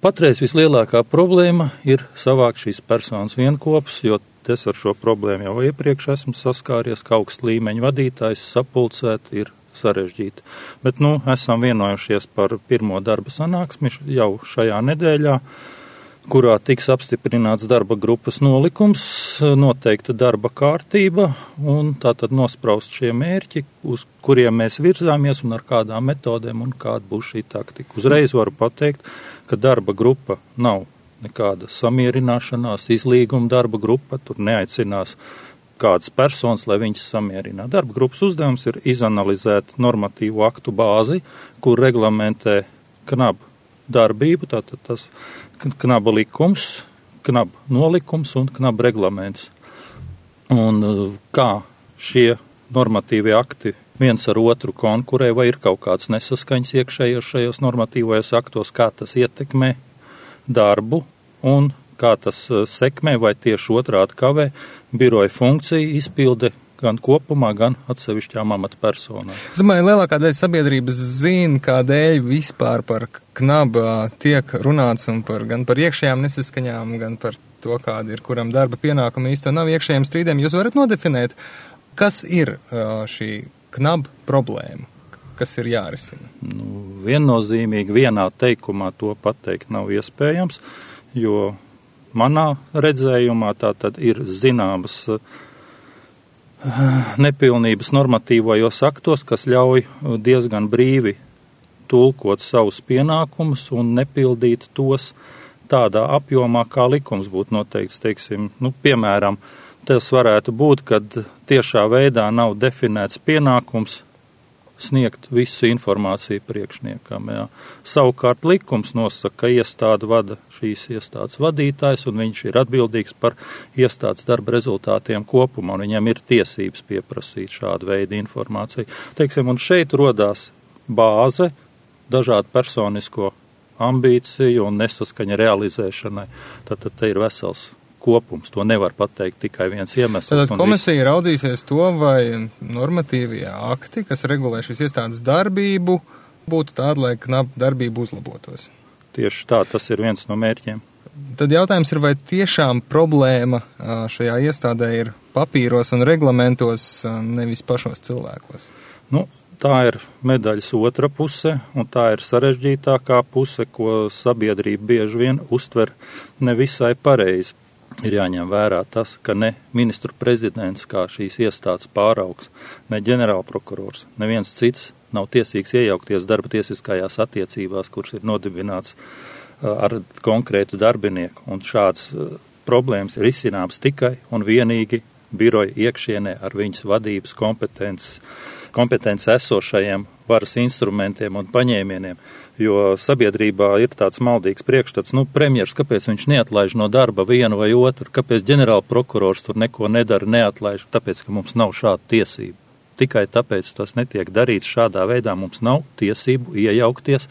Patreiz vislielākā problēma ir savākt šīs personas vienkopus, jo es ar šo problēmu jau iepriekš esmu saskāries, ka augsta līmeņa vadītājs sapulcēt ir sarežģīti. Bet, esam vienojušies par pirmo darba sanāksmi jau šajā nedēļā, kurā tiks apstiprināts darba grupas nolikums, noteikta darba kārtība un tātad nospraust šie mērķi, uz kuriem mēs virzāmies un ar kādām metodēm un kāda būs šī taktika. Uzreiz varu pateikt, ka darba grupa nav nekāda samierināšanās, izlīguma darba grupa, tur neaicinās kādas personas, lai viņas samierinātu. Darba grupas uzdevums ir izanalizēt normatīvu aktu bāzi, kur reglamentē KNAB darbību, tātad tas KNAB likums, KNAB nolikums un KNAB reglaments. Un kā šie normatīvie akti viens ar otru konkurē, vai ir kaut kāds nesaskaņas iekšējos šajos normatīvajos aktos, kā tas ietekmē darbu un kā tas sekmē vai tieši otrādi kavē biroja funkciju izpilde gan kopumā, gan atsevišķām amatpersonām. Es domāju, lielākā daļa sabiedrības zina, kādēļ vispār par KNAB tiek runāts un gan par iekšējām nesaskaņām, gan par to, kāda ir kuram darba pienākuma īsti nav iekšējiem strīdiem. Jūs varat nodefinēt, kas ir šī KNAB problēma, kas ir jārisina? Viennozīmīgi vienā teikumā to pateikt nav iespējams, jo manā redzējumā tā tad ir zināmas nepilnības normatīvajos aktos, kas ļauj diezgan brīvi tulkot savus pienākumus un nepildīt tos tādā apjomā, kā likums būtu noteikts. Teiksim, piemēram, tas varētu būt, kad tiešā veidā nav definēts pienākums sniegt visu informāciju priekšniekam. Jā. Savukārt likums nosaka, ka iestādi vada šīs iestādes vadītājs un viņš ir atbildīgs par iestādes darba rezultātiem kopumā un viņam ir tiesības pieprasīt šādu veidu informāciju. Teiksim, un šeit rodās bāze dažādu personisko ambīciju un nesaskaņa realizēšanai. Tad te ir vesels kopums. To nevar pateikt tikai viens iemesls. Tad komisija raudzīsies to, vai normatīvie akti, kas regulē šīs iestādes darbību, būtu tādi, lai KNAB darbība uzlabotos. Tieši tā, tas ir viens no mērķiem. Tad jautājums ir, vai tiešām problēma šajā iestādē ir papīros un reglamentos, nevis pašos cilvēkos? Tā ir medaļas otra puse, un tā ir sarežģītākā puse, ko sabiedrība bieži vien uztver nevisai pareizi. Ir jāņem vērā tas, ka ne ministru prezidents, kā šīs iestādes pāraugs, ne ģenerālprokurors, neviens cits nav tiesīgs iejaukties darba tiesiskajās attiecībās, kuras ir nodibināts ar konkrētu darbinieku. Un šāds problēmas ir izcināms tikai un vienīgi biroja iekšienē ar viņas vadības kompetences esošajiem varas instrumentiem un paņēmieniem. Jo sabiedrībā ir tāds maldīgs priekšstats, premjers, kāpēc viņš neatlaiž no darba vienu vai otru, kāpēc ģenerālprokurors tur neko nedara, neatlaiž, tāpēc, ka mums nav šāda tiesība. Tikai tāpēc tas netiek darīts šādā veidā, mums nav tiesību iejaukties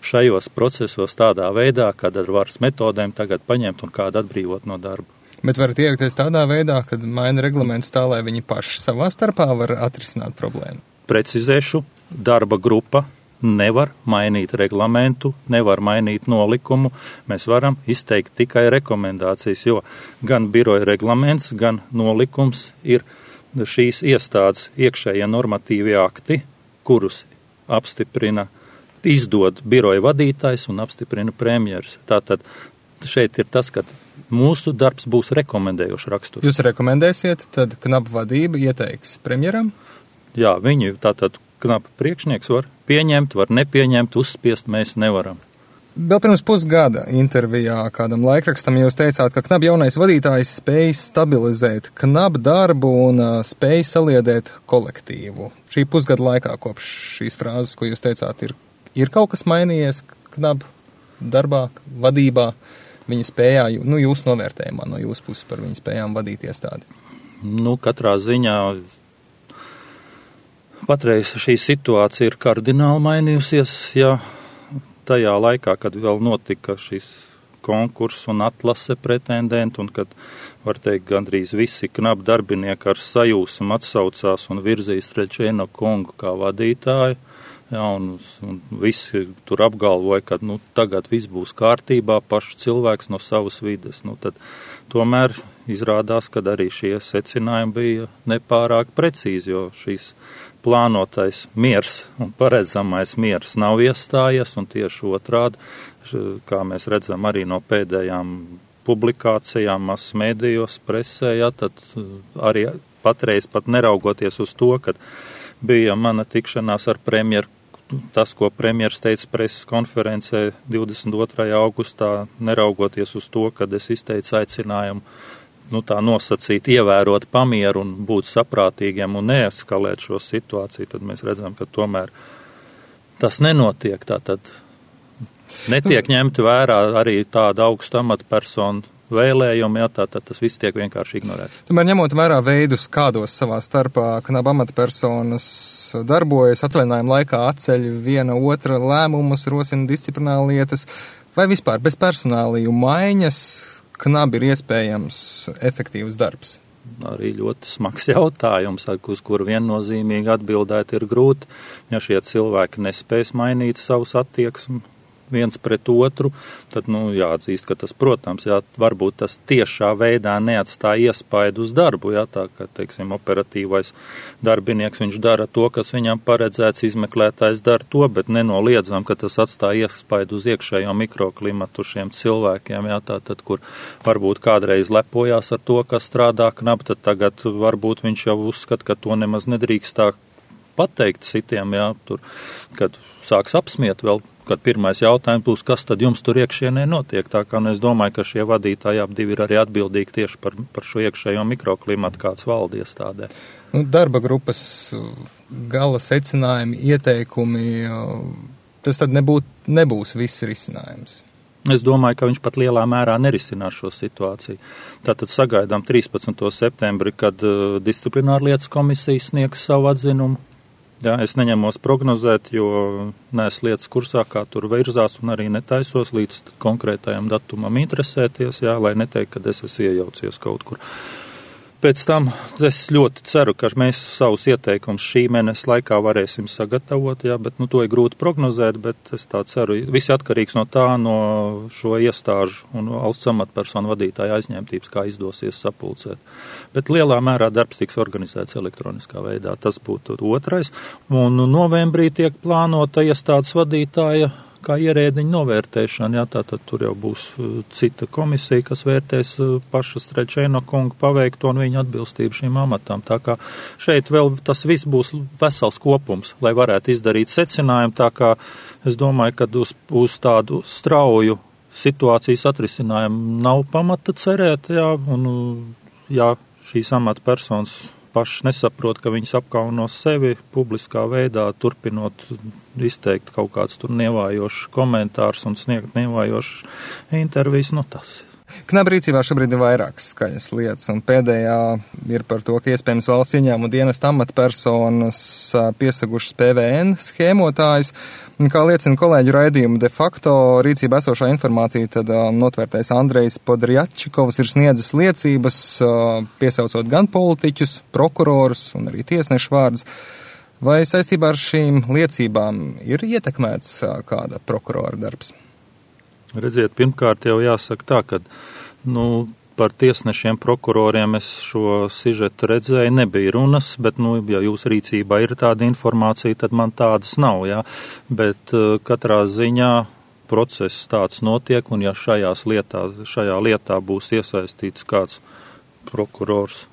šajos procesos tādā veidā, kad ar varas metodēm tagad paņemt un kādu atbrīvot no darba. Bet varat iejaukties tādā veidā, kad maina reglamentus tā, lai viņi paši savā starpā var atrisināt problēmu? Precizēšu, darba grupa nevar mainīt reglamentu, nevar mainīt nolikumu. Mēs varam izteikt tikai rekomendācijas, jo gan biroja reglaments, gan nolikums ir šīs iestādes iekšējie normatīvie akti, kurus apstiprina, izdod biroja vadītājs un apstiprina premjeras. Tātad šeit ir tas, ka mūsu darbs būs rekomendējošs raksturs. Jūs rekomendēsiet, tad KNAB vadība ieteiks premjeram? Jā, viņi tātad KNAB priekšnieks var pieņemt, var nepieņemt, uzspiest mēs nevaram. Vēl pirms pusgada intervijā kādam laikrakstam jūs teicāt, ka KNAB jaunais vadītājs spēj stabilizēt KNAB darbu un spēj saliedēt kolektīvu. Šī pusgada laikā kopš šīs frāzes, ko jūs teicāt, ir kaut kas mainījies KNAB darbā, vadībā, viņa spējā, jūsu novērtējumā no jūsu puses par viņa spējām vadīt iestādi? Katrā ziņā patreiz šī situācija ir kardināli mainījusies, ja tajā laikā, kad vēl notika šis konkurss un atlase pretendentu, un kad, var teikt, gandrīz visi KNAB darbinieki ar sajūsmu atsaucās un virzīs Treķēno kungu kā vadītāju, jā, un visi tur apgalvoja, ka tagad viss būs kārtībā, pašs cilvēks no savas vides. Tad tomēr izrādās, ka arī šie secinājumi bija nepārāk precīzi, jo šīs plānotais miers un paredzamais miers nav iestājies, un tieši otrādi, kā mēs redzam arī no pēdējām publikācijām, masmedijos, presē, tad arī patreiz pat neraugoties uz to, kad bija mana tikšanās ar premjeru, tas, ko premjers teica preses konferencē 22. augustā, neraugoties uz to, kad es izteicu aicinājumu tā nosacīt, ievērot pamieru un būt saprātīgiem un neeskalēt šo situāciju, tad mēs redzam, ka tomēr tas nenotiek. Tātad netiek ņemti vērā arī tāda augsta amatpersonu vēlējumi, tātad tas viss tiek vienkārši ignorēts. Tomēr ņemot vērā veidus, kādos savā starpā knaba amatpersonas darbojas, atvaļinājuma laikā atceļ viena otra lēmumus, rosina disciplināra lietas, vai vispār bez personāliju maiņas knabi ir iespējams efektīvs darbs? Arī ļoti smags jautājums, uz kuru viennozīmīgi atbildēt ir grūti, ja šie cilvēki nespēs mainīt savus attieksmi viens pret otru, tad, jāatzīst, ka tas, protams, varbūt tas tiešā veidā neatstāja iespaidu uz darbu, tā kā, teiksim, operatīvais darbinieks, viņš dara to, kas viņam paredzēts, izmeklētājs dara to, bet nenoliedzam, ka tas atstāja iespaidu uz iekšējo mikroklimatu šiem cilvēkiem, tātad, kur varbūt kādreiz lepojās ar to, kas strādā knabi, tad tagad varbūt viņš jau uzskata, ka to nemaz nedrīkst tā pateikt citiem, tur, kad sāks apsmiet vēl, kad pirmais jautājums būs, kas tad jums tur iekšienē notiek. Tā kā es domāju, ka šie vadītāji abi ir arī atbildīgi tieši par šo iekšējo mikroklimatu, kāds valda iestādē. Darba grupas gala secinājumi, ieteikumi, tas tad nebūs viss risinājums. Es domāju, ka viņš pat lielā mērā nerisinās šo situāciju. Tātad sagaidām 13. septembri, kad disciplinārlietas komisija sniegs savu atzinumu. Es neņemos prognozēt, jo neesmu lietas kursā, kā tur virzās, un arī netaisos līdz konkrētajam datumam interesēties, lai neteikt, ka es esmu iejaucies kaut kur. Pēc tam es ļoti ceru, ka mēs savus ieteikumus šī mēneša laikā varēsim sagatavot, bet to ir grūti prognozēt, bet es tā ceru. Viss atkarīgs no tā, no šo iestāžu un valsts amatpersonu vadītāja aizņemtības, kā izdosies sapulcēt. Bet lielā mērā darbs tiks organizēts elektroniskā veidā, tas būtu otrais. Un novembrī tiek plānota iestādes vadītāja kā ierēdiņa novērtēšana, tātad tur jau būs cita komisija, kas vērtēs paša Strečēno kungu paveikto un viņa atbilstību šīm amatām. Tā kā šeit vēl tas viss būs vesels kopums, lai varētu izdarīt secinājumu, tā kā es domāju, ka uz tādu strauju situācijas atrisinājumu nav pamata cerēt, un šīs amatpersonas paši nesaprot, ka viņas apkauno sevi publiskā veidā, turpinot izteikt kaut kāds tur nievājošs komentārs un sniegt nievājošs intervijas, tas. Knaba rīcībā šobrīd ir vairākas skaļas lietas, un pēdējā ir par to, ka iespējams valsts ieņēmuma dienesta amatpersonas piesagušas PVN schēmotājus. Kā liecina kolēģu raidījumu de facto rīcībā esošā informācija, tad notvērtais Andrejs Podrjačikovs ir sniedzis liecības, piesaucot gan politiķus, prokurorus un arī tiesnešu vārdus. Vai saistībā ar šīm liecībām ir ietekmēts kāda prokurora darbs? Redziet, pirmkārt jau jāsaka tā, ka par tiesnešiem, prokuroriem es šo sižetu redzēju, nebija runas, bet, ja jūsu rīcībā ir tāda informācija, tad man tādas nav, Bet katrā ziņā process tāds notiek, un ja šajā lietā būs iesaistīts kāds prokurors,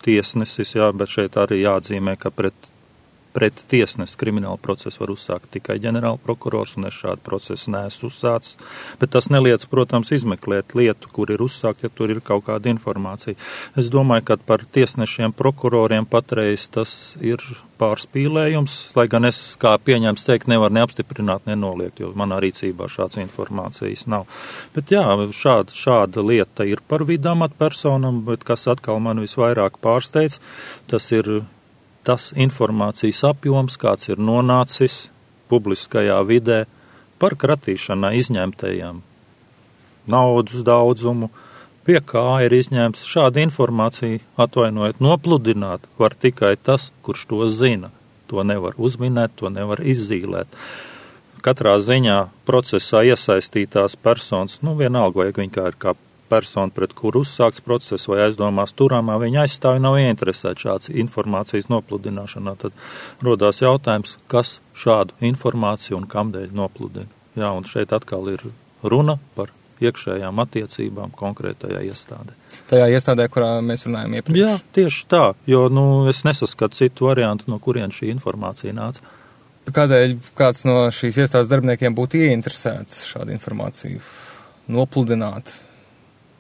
tiesnesis, bet šeit arī jāatzīmē, ka pret tiesnesi kriminālu procesu var uzsākt tikai ģenerāla prokurors, un es šādu procesu neesmu uzsācis. Bet tas neliec, protams, izmeklēt lietu, kur ir uzsākt, ja tur ir kaut kāda informācija. Es domāju, ka par tiesnešiem, prokuroriem patreiz tas ir pārspīlējums, lai gan es, kā pieņemts teikt, nevaru neapstiprināt, nenoliegt, jo manā rīcībā šāds informācijas nav. Bet šāda lieta ir par vidu amatpersonam, bet kas atkal man visvairāk pārsteidz, tas ir tas informācijas apjoms, kāds ir nonācis publiskajā vidē par kratīšanai izņemtajām naudas daudzumu, pie kā ir izņemts šāda informācija, atvainojiet, nopludināt var tikai tas, kurš to zina. To nevar uzminēt, to nevar izzīlēt. Katrā ziņā procesā iesaistītās personas, vienalga, vai viņa ir kā persona, pret kuru uzsākts process vai aizdomās turāmā, viņa aizstāvi nav ieinteresēta šāds informācijas nopludināšanā. Tad rodās jautājums, kas šādu informāciju un kamdēļ nopludina. Jā, un šeit atkal ir runa par iekšējām attiecībām konkrētajā iestādē. Tajā iestādē, kurā mēs runājam iepriekš. Jā, tieši tā, jo es nesaskatu citu variantu, no kurien šī informācija nāca. Kādēļ kāds no šīs iestādes darbiniekiem būtu ieinteresēts šādu informāciju nopludināt,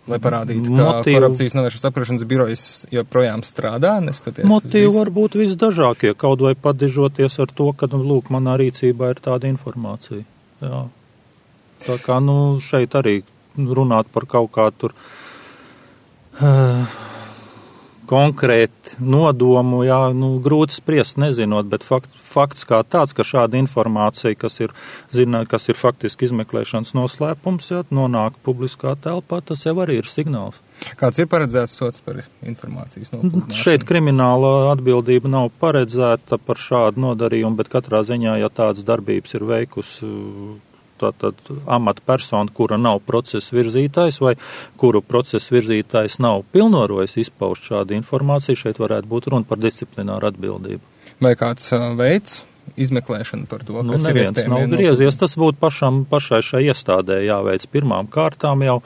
lai parādītu, ka korupcijas novēršanas apkarošanas birojas joprojām strādā, neskatoties motīvi var būt visdažākie, kaut vai padižoties ar to, ka, lūk, manā rīcībā ir tāda informācija. Jā. Tā kā, šeit arī runāt par kaut kā tur konkrēti nodomu, jā, grūti spriest, nezinot, bet fakts kā tāds, ka šāda informācija, kas ir faktiski izmeklēšanas noslēpums, jā, nonāk publiskā telpā, tas jau arī ir signāls. Kāds ir paredzēts sots par informācijas nopludināšanu? Šeit krimināla atbildība nav paredzēta par šādu nodarījumu, bet katrā ziņā, ja tādas darbības ir veikusi tātad amatpersona, kura nav procesa virzītājs vai kuru procesa virzītājs nav pilnvarojis izpaust šādu informāciju, šeit varētu būt runa par disciplināru atbildību. Vai kāds veids izmeklēšanu par to, kas ir iespējami? Nav griezies, tas būtu pašai šai iestādē jāveic pirmām kārtām jau,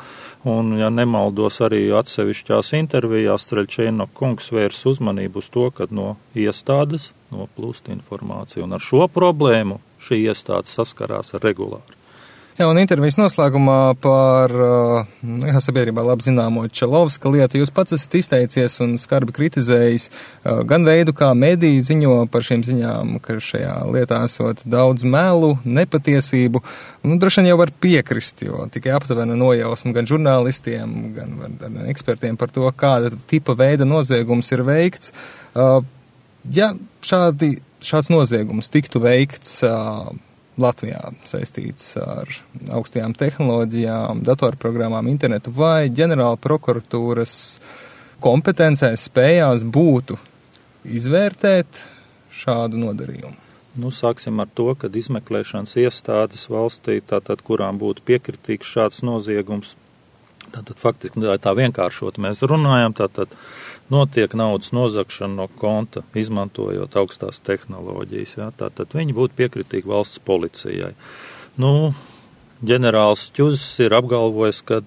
un, ja nemaldos arī atsevišķās intervijās, Streļčēno kungs vērs uzmanību uz to, kad no iestādes noplūst informācija, un ar šo problēmu šī iestāde saskarās regulāri. Jā, un intervijas noslēgumā par sabiedrībā labi zināmo Čelovska lietu jūs pats esat izteicies un skarbi kritizējis gan veidu, kā mediji ziņo par šīm ziņām, ka šajā lietā esot daudz melu, nepatiesību. Droši vien jau var piekrist, jo tikai aptuvena nojausma gan žurnālistiem, gan ekspertiem par to, kāda tipa veida noziegums ir veikts. Ja šāds noziegums tiktu veikts Latvijā saistīts ar augstajām tehnoloģijām, datorprogrammām, internetu, vai ģenerāla prokuratūras kompetencēs spējās būtu izvērtēt šādu nodarījumu? Sāksim ar to, ka izmeklēšanas iestādes valstī, tātad, kurām būtu piekritīgs šāds noziegums, tātad faktiski tā vienkāršot mēs runājam, tātad notiek naudas nozagšana no konta, izmantojot augstās tehnoloģijas. Jā, tātad viņi būtu piekritīgi valsts policijai. Ģenerālis Ķuzs ir apgalvojis, ka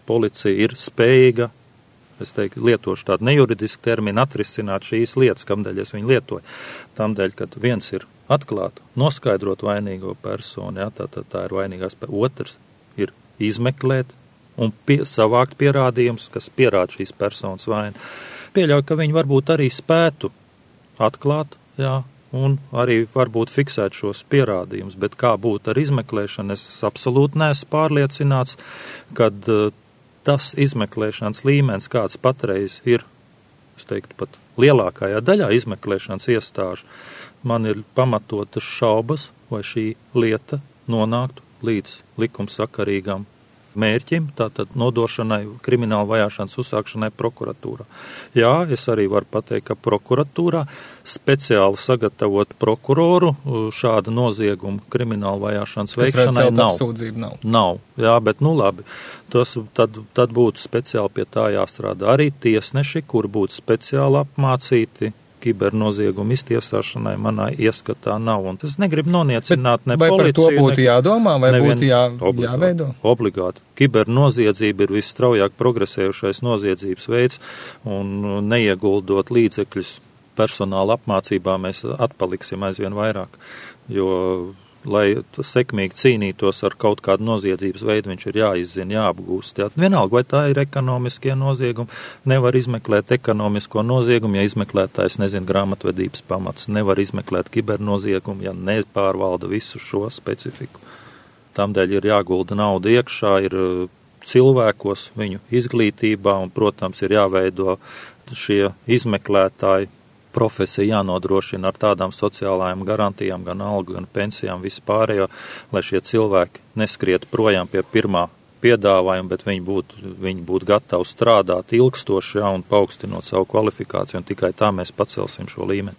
policija ir spējīga, es teiktu, lietošu tādu nejuridisku terminu, atrisināt šīs lietas, kamdēļ es viņu lietoju. Tamdēļ, kad viens ir atklāt, noskaidrot vainīgo personu, jā, tā ir vainīgās, otrs ir izmeklēt un savākt pierādījumus, kas pierāda šīs personas vainu. Pieļauju, ka viņi varbūt arī spētu atklāt, jā, un arī varbūt fiksēt šos pierādījumus, bet kā būtu ar izmeklēšanu, es absolūti neesmu pārliecināts, kad tas izmeklēšanas līmenis, kāds patreiz ir, es teiktu, pat lielākajā daļā izmeklēšanas iestāžu, man ir pamatotas šaubas, vai šī lieta nonāktu līdz likumsakarīgam mērķim, tātad nodošanai, krimināla vajāšanas uzsākšanai prokuratūrā. Jā, es arī varu pateikt, ka prokuratūrā speciāli sagatavot prokuroru šāda nozieguma krimināla vajāšanas veikšanai nav. Jā, bet labi, tad būtu speciāli pie tā jāstrādā arī tiesneši, kur būtu speciāli apmācīti kibernoziegumu iztiesāšanai manā ieskatā nav. Un es negribu noniecināt ne policiju. Vai par to būtu jādomā, vai būtu jāveido? Obligāti. Kibernoziedzība ir visstraujāk progresējušais noziedzības veids, un neieguldot līdzekļus personāla apmācībā, mēs atpaliksim aizvien vairāk. Jo, lai sekmīgi cīnītos ar kaut kādu noziedzības veidu, viņš ir jāizzina, jāapgūst. Jā. Vienalga, vai tā ir ekonomiskie noziegumi, nevar izmeklēt ekonomisko noziegumu, ja izmeklētājs nezina grāmatvedības pamats, nevar izmeklēt kibernoziegumu, ja nepārvalda visu šo specifiku. Tamdēļ ir jāgulda nauda iekšā, ir cilvēkos, viņu izglītībā, un, protams, ir jāveido šie izmeklētāji, profesija jānodrošina ar tādām sociālajām garantijām, gan algu, gan pensijām, vispārējo, lai šie cilvēki neskriet projām pie pirmā piedāvājuma, bet viņi būtu gatavi strādāt ilgstoši, jā, un paaugstinot savu kvalifikāciju, un tikai tā mēs pacelsim šo līmeni.